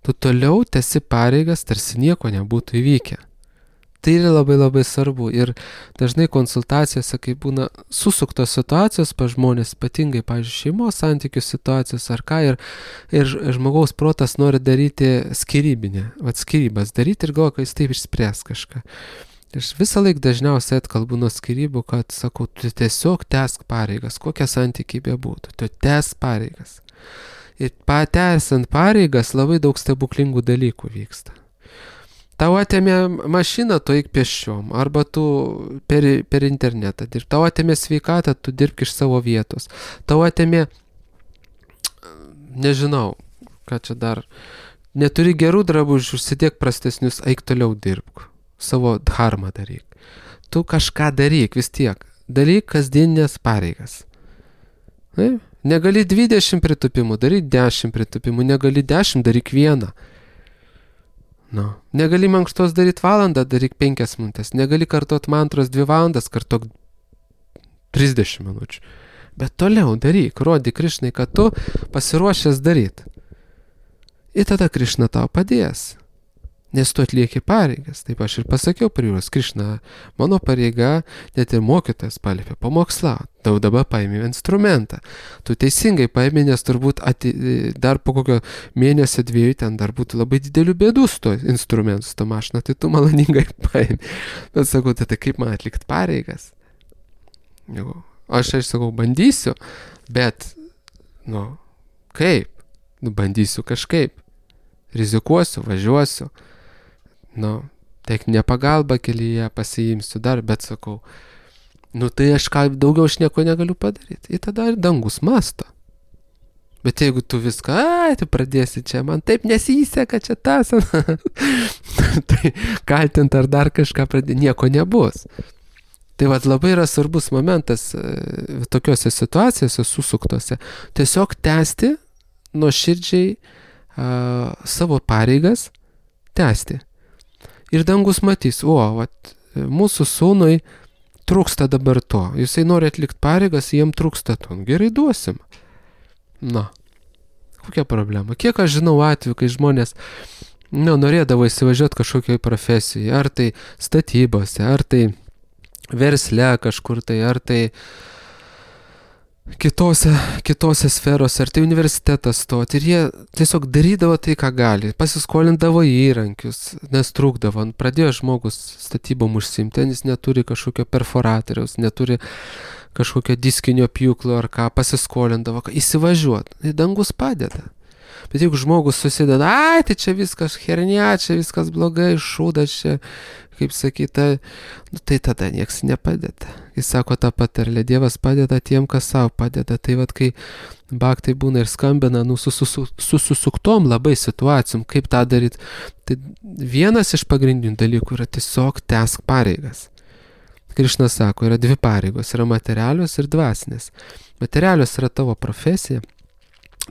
Tu toliau tęsi pareigas, tarsi nieko nebūtų įvykę. Tai yra labai labai svarbu ir dažnai konsultacijose, kai būna susuktos situacijos pas žmonės, ypatingai, pavyzdžiui, šeimos santykių situacijos ar ką, ir žmogaus protas nori daryti skyrybas daryti ir galvoja, kad jis taip išspręs kažką. Aš visą laiką dažniausiai atkalbu nuo skyrybų, kad sakau, tu tiesiog tęsk pareigas, kokie santykiai bebūtų, tu tęsk pareigas. Ir patęsiant pareigas labai daug stebuklingų dalykų vyksta. Tau atėmė mašiną, tu eik pėsčiom, arba tu per internetą dirb. Tau atėmė sveikatą, tu dirbk iš savo vietos. Tau atėmė, nežinau, ką čia dar, neturi gerų drabužių, užsidėk prastesnius, eik toliau dirbk. Savo dharmą daryk. Tu kažką daryk vis tiek. Daryk kasdieninės pareigas. Negali 20 pritupimų, daryk 10 pritupimų, negali 10, daryk 1. Negali mankštos daryti valandą, daryk 5 minutės, negali kartot mantros 2 valandas, kartok 30 minučių. Bet toliau daryk, rodyk Krišnai, kad tu pasiruošęs daryti. Ir tada Krišna tau padės. Nes tu atlieki pareigas. Taip aš ir pasakiau prie jūros, Krišna, mano pareiga, net ir mokytojas paliepė pamokslauti. Tau dabar paėmė instrumentą. Tu teisingai paėmė, nes turbūt dar po kokio mėnesio 2 ten dar būtų labai didelių bėdų su to instrumentu, su to mašina, tai tu maloningai paėmė. Bet sakau, tai kaip man atlikti pareigas? Aš sakau, bandysiu, bet, kaip? Bandysiu kažkaip. Rizikuosiu, važiuosiu. Techninę pagalbą kelyje pasiimsiu dar, bet sakau, tai aš daugiau aš nieko negaliu padaryti. Ir tada ir dangus masto. Bet jeigu tu viską, tu pradėsi čia, man taip nesiseka čia tas, tai kaltint ar dar kažką pradėti, nieko nebus. Tai labai yra svarbus momentas tokiuose situacijose susuktose. Tiesiog tęsti nuoširdžiai savo pareigas, tęsti. Ir dangus matys, mūsų sūnui trūksta dabar to. Jisai nori atlikti pareigas, jiem trūksta to. Gerai, duosim. Kokia problema? Kiek aš žinau atveju, kai žmonės norėdavo įsivažiuoti kažkokioj profesijai, ar tai statybose, ar tai versle kažkur tai, ar tai kitose sferose, ar tai universitetas stoti. Ir jie tiesiog darydavo tai, ką gali. Pasiskolindavo įrankius, nes trūkdavo. Pradėjo žmogus statybom užsiimti, jis neturi kažkokio perforatoriaus, neturi kažkokio diskinio pjūklo ar ką, pasiskolindavo, įsivažiuot. Tai dangus padeda. Bet jeigu žmogus susideda, tai čia viskas hernia, čia viskas blogai, šūdas čia, kaip sakyta, tai tada nieks nepadeda. Jis sako tą patarlę, Dievas padeda tiem, kas savo padeda. Tai kai baktai būna ir skambina, su susuktom labai situacijom, kaip tą daryti. Tai vienas iš pagrindinių dalykų yra tiesiog tęsk pareigas. Krišna sako, yra 2 pareigos, yra materialios ir dvasinės. Materialios yra tavo profesija,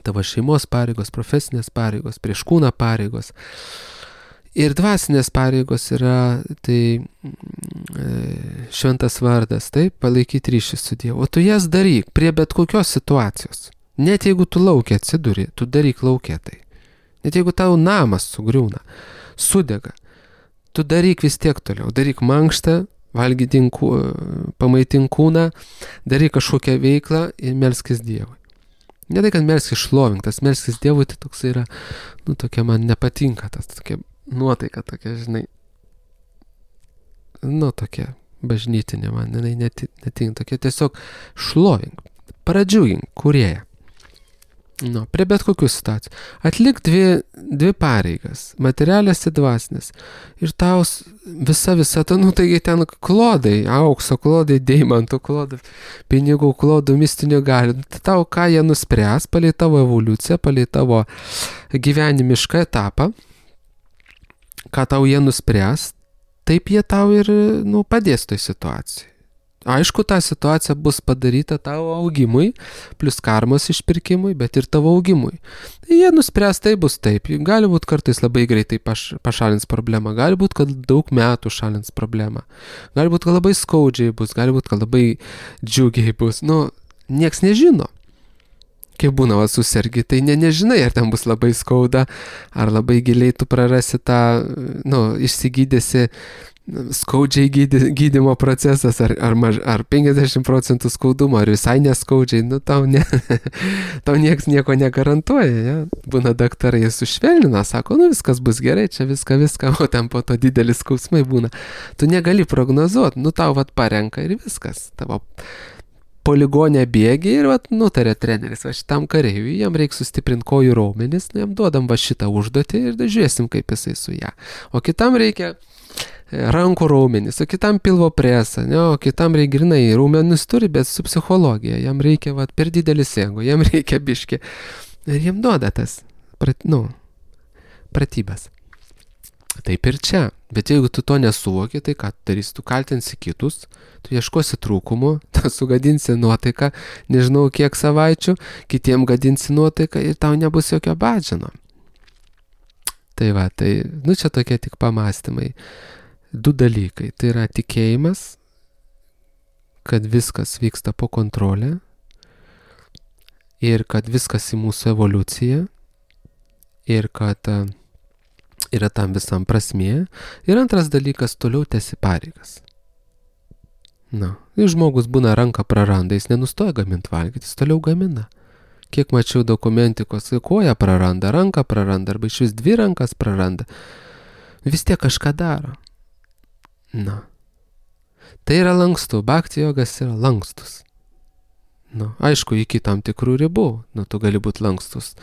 tavo šeimos pareigos, profesinės pareigos, prieš kūną pareigos. Ir dvasinės pareigos yra tai šventas vardas, taip, palaikyti ryšį su Dievu. O tu jas daryk prie bet kokios situacijos. Net jeigu tu laukia atsiduri, tu daryk laukia tai. Net jeigu tau namas sugriūna, sudega, tu daryk vis tiek toliau. Daryk mankštą, pamaitink kūną, daryk kažkokią veiklą ir melskis Dievui. Ne tai, kad melskis šlovintas, melskis Dievui, tai toks yra, tokia man nepatinka, tas tokia nuotaika tokia, žinai, tokia bažnytinė man, netinka, tokia tiesiog šlovink, pradžiugink kūrėją. Prie bet kokių situacijų. Atlik 2 pareigas, materialės ir dvasinės. Ir tau visa, taigi ten klodai, aukso klodai, deimantų klodai, pinigų klodų, mistinių galių. Tau ką jie nuspręs, palei tavo evoliuciją, palei tavo gyvenimišką etapą, ką tau jie nuspręs, taip jie tau ir padės toj situacijai. Aišku, ta situacija bus padaryta tavo augimui, plus karmos išpirkimui, bet ir tavo augimui. Jie nuspręs, tai bus taip. Gali būti kartais labai greitai pašalins problemą, gali būti, kad daug metų šalins problemą, gali būti, kad labai skaudžiai bus, gali būti, kad labai džiugiai bus. Nieks nežino. Kaip būna susergi, tai nežinai, ar ten bus labai skauda, ar labai giliai tu prarasi tą, išsigydėsi skaudžiai gydymo procesas, ar 50% skaudumo, ar visai neskaudžiai, tau nieks nieko negarantuoja, ja? Būna daktarai, jie sušvelnina, sako, viskas bus gerai, čia viską, o ten po to didelis skausmai būna. Tu negali prognozuoti, tau parenka ir viskas, tavo poligonę bėgi ir vat nutarė treneris, va šitam kareiviui, jam reikia sustiprinti kojų raumenis, jam duodam va šitą užduotį ir žiūrėsim, kaip jisai su ją. O kitam reikia rankų raumenis, o kitam pilvo presą, ne, o kitam reikia grinai raumenis turi, bet su psichologija, jam reikia vat per didelis ego, jam reikia biški. Ir jam duoda tas, pratybas. Taip ir čia. Bet jeigu tu to nesuvoki, tai ką tu darysi, tu kaltinsi kitus, tu ieškosi trūkumų, tu sugadinsi nuotaiką, nežinau kiek savaičių, kitiem gadinsi nuotaiką ir tau nebus jokio badžino. Tai va, tai, čia tokie tik pamastymai. 2 dalykai. Tai yra tikėjimas, kad viskas vyksta po kontrolę ir kad viskas į mūsų evoliuciją ir kad yra tam visam prasmė. Ir antras dalykas, toliau tęsi pareigas. Ir žmogus būna ranką praranda, jis nenustoja gaminti valgyti, jis toliau gamina. Kiek mačiau dokumentikos, koją praranda, ranką praranda, arba iš vis 2 rankas praranda. Vis tiek kažką daro. Tai yra lankstu, bhakti jogas yra lankstus. Aišku, iki tam tikrų ribų, tu gali būti lankstus,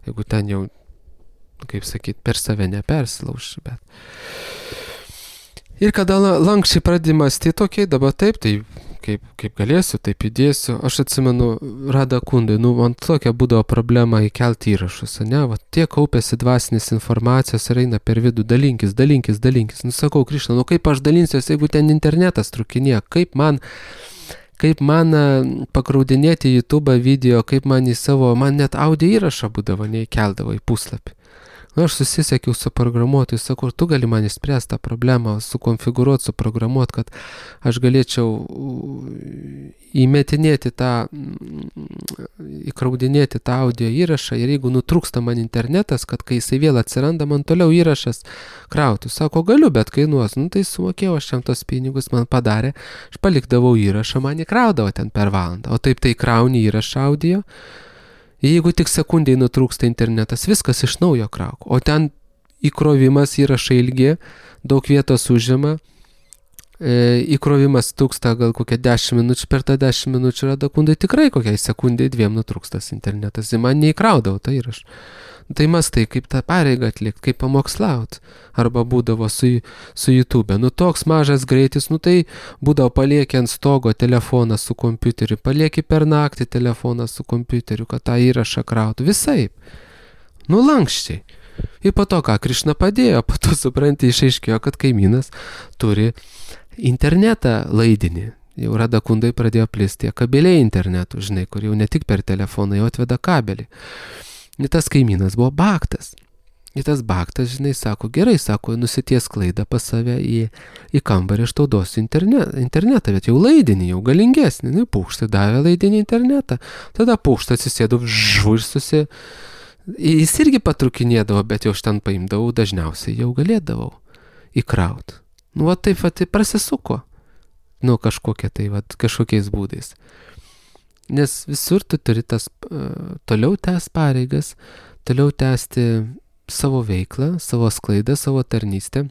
jeigu ten jau, kaip sakyt, per save nepersilauši, bet. Ir kada lankščiai pradedi mąstyti, okei, dabar taip, tai kaip galėsiu, taip įdėsiu. Aš atsimenu, Radha Kundai, man tokia būdavo problema įkelti įrašus, ne, tiek kaupėsi dvasinės informacijos ir eina per vidų, dalinkis. Sakau, Krišna, kaip aš dalinsiuosi, jeigu ten internetas trukinėja, kaip man pakraudinėti YouTube video, kaip man net audio įrašą būdavo, neįkeldavo į puslapį. Aš susisiekiau su programuotoju, sakau, tu gali man išspręsti tą problemą, sukonfigūruoti, suprogramuoti, kad aš galėčiau įkraudinėti tą audio įrašą ir jeigu nutrūksta man internetas, kad kai jisai vėl atsiranda, man toliau įrašas krautų. Sako, galiu, bet kainuos. Tai sumokėjau aš jam tos pinigus, man padarė, aš palikdavau įrašą, man įkraudavo ten per valandą. O taip tai krauni įrašą audio. Jeigu tik sekundžiai nutrūksta internetas, viskas iš naujo krauk. O ten įkrovimas įrašai ilgi, daug vietos užima, įkrovimas trūksta gal kokią 10 minučių, per tą 10 minučių Radha Kundai tikrai kokiai sekundžiai 2 nutrūkstas internetas. Ir man neįkraudavo tą įrašą. Tai mastai, kaip tą pareigą atlikti, kaip pamokslauti. Arba būdavo su YouTube. Toks mažas greitis, tai būdavo palieki ant stogo telefoną su kompiuteriu, palieki per naktį telefoną su kompiuteriu, kad tą įrašą krautų. Visaip. Lankščiai. Ir po to, ką Krišna padėjo, po to supranti, išaiškėjo, kad kaimynas turi internetą laidinį. Jau Radha Kundai pradėjo plisti kabeliai internetų, žinai, kur jau ne tik per telefoną, jau atveda kabelį. Ir tas kaimynas buvo bhaktas. Ir tas bhaktas, žinai, sako, gerai, sako, nusities klaidą pas save į kambarį, aš tau duosiu internetą, bet jau laidinį, jau galingesnį. Pūkštą davė laidinį internetą. Tada pūkštą atsisėdau, ir jis irgi patrukinėdavo, bet jau aš ten paimdavau, dažniausiai jau galėdavau įkrauti. Taip prasisuko. Kažkokiais būdais. Nes visur tu turi toliau tęsti pareigas, toliau tęsti savo veiklą, savo sklaidą, savo tarnystę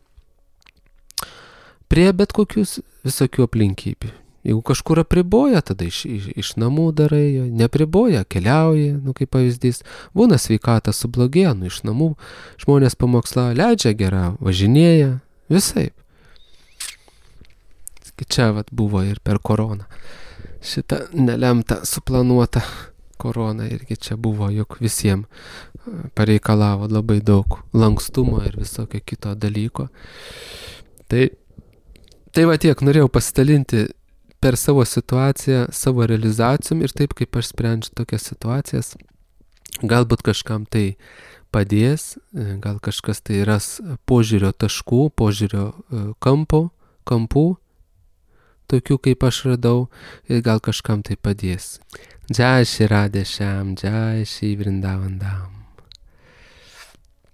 prie bet kokius visokių aplinkybių. Jeigu kažkur apriboja, tada iš namų darai, nepriboja, keliauji, kaip pavyzdys. Būna sveikata sublogėja, iš namų žmonės pamokslauja, leidžia gerą, važinėja, visaip. Čia buvo ir per koroną. Šitą nelemtą, suplanuotą koroną irgi čia buvo, juk visiems pareikalavo labai daug lankstumo ir visokio kito dalyko. Tai tiek, norėjau pasidalinti per savo situaciją, savo realizacijom ir taip, kaip aš sprendžiu tokias situacijas. Galbūt kažkam tai padės, gal kažkas tai ras požiūrio taškų, požiūrio kampų, tokių kaip aš radau, ir gal kažkam tai padės. Jai Shri Radhe Shyam, Jai Shri Vrindavan Dham.